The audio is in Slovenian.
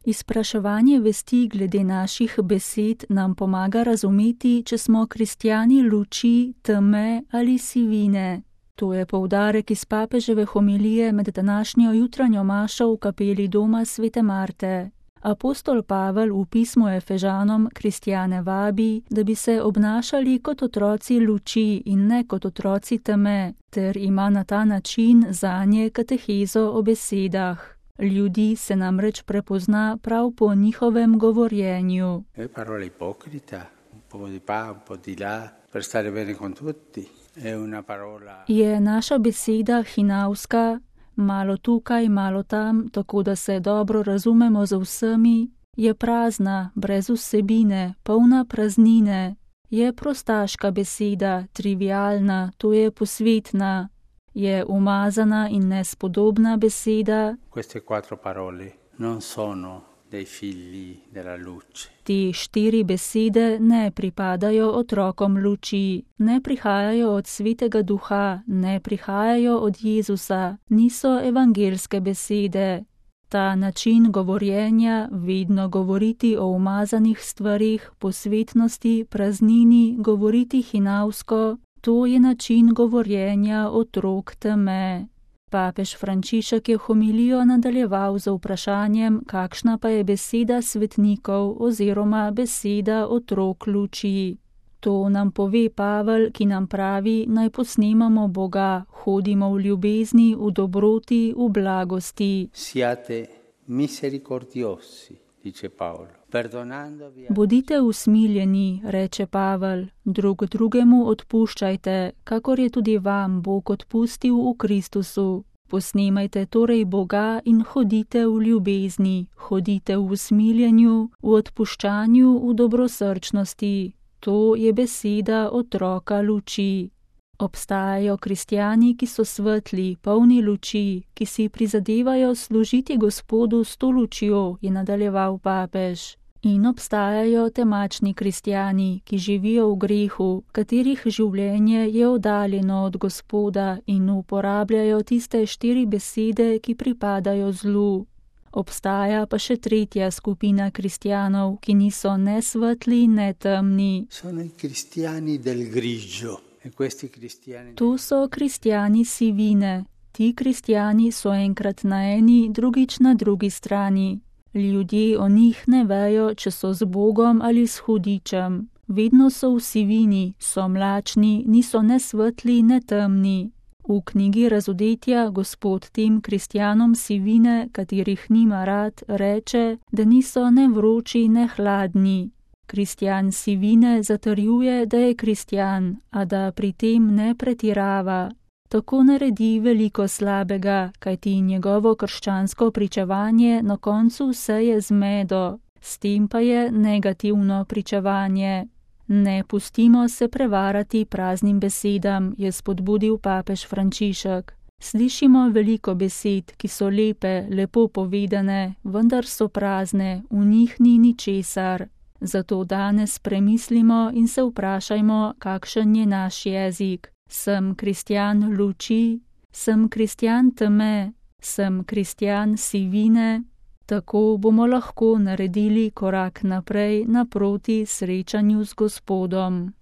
Izpraševanje vesti glede naših besed nam pomaga razumeti, če smo kristjani luči, teme ali sivine. To je poudarek iz papeževe homilije med današnjo jutranjo mašo v kapeli doma svete Marte. Apostol Pavel v pismu Efežanom kristjane vabi, da bi se obnašali kot otroci luči in ne kot otroci teme, ter ima na ta način zanje katehezo o besedah. Ljudi se namreč prepozna prav po njihovem govorjenju. Parola ipocrita, un po' di pa, un po' di là, per stare bene con tutti. Je naša beseda hinavska, malo tukaj, malo tam, tako da se dobro razumemo z vsemi, je prazna, brez vsebine, polna praznine. Je prostaška beseda, trivialna, to je posvetna. Je umazana in nespodobna beseda. Queste quattro parole non sono dei figli della luce. Te 4 besede ne pripadajo otrokom luči, ne prihajajo od Svetega Duha, ne prihajajo od Jezusa, niso evangelske besede. Ta način govorjenja, vedno govoriti o umazanih stvarih, posvetnosti, praznini, govoriti hinavsko, to je način govorjenja otrok teme. Papež Frančišek je homilijo nadaljeval z vprašanjem, kakšna pa je beseda svetnikov oziroma beseda otrok luči. To nam pove Pavel, ki nam pravi, naj posnemamo Boga, hodimo v ljubezni, v dobroti, v blagosti. Siate misericordiosi, dice Paolo. Bodite usmiljeni, reče Pavel, drug drugemu odpuščajte, kakor je tudi vam Bog odpustil v Kristusu. Posnemajte torej Boga in hodite v ljubezni, hodite v usmiljenju, v odpuščanju, v dobrosrčnosti. To je beseda otroka luči. Obstajajo kristjani, ki so svetli, polni luči, ki si prizadevajo služiti Gospodu s to lučjo, je nadaljeval papež. In obstajajo temačni kristjani, ki živijo v grehu, katerih življenje je oddaljeno od Gospoda in uporabljajo tiste 4 besede, ki pripadajo zlu. Obstaja pa še 3. skupina kristjanov, ki niso ne svetli, ne temni. Sono i cristiani del grigio. To so kristjani sivine. Ti kristjani so enkrat na eni, drugič na drugi strani. Ljudje o njih ne vejo, če so z Bogom ali s hudičem. Vedno so v sivini, so mlačni, niso ne svetli, ne temni. V knjigi Razodetja Gospod tem kristjanom sivine, katerih nima rad, reče, da niso ne vroči, ne hladni. Kristjan sivine zatrjuje, da je kristjan, a da pri tem ne pretirava. Tako naredi veliko slabega, kajti njegovo krščansko pričevanje na koncu seje zmedo, s tem pa je negativno pričevanje. Ne pustimo se prevarati praznim besedam, je spodbudil papež Frančišek. Slišimo veliko besed, ki so lepe, lepo povedane, vendar so prazne, v njih ni ničesar. Zato danes premislimo in se vprašajmo, kakšen je naš jezik. Sem kristjan luči, sem kristjan teme, sem kristjan sivine. Tako bomo lahko naredili korak naprej naproti srečanju z Gospodom.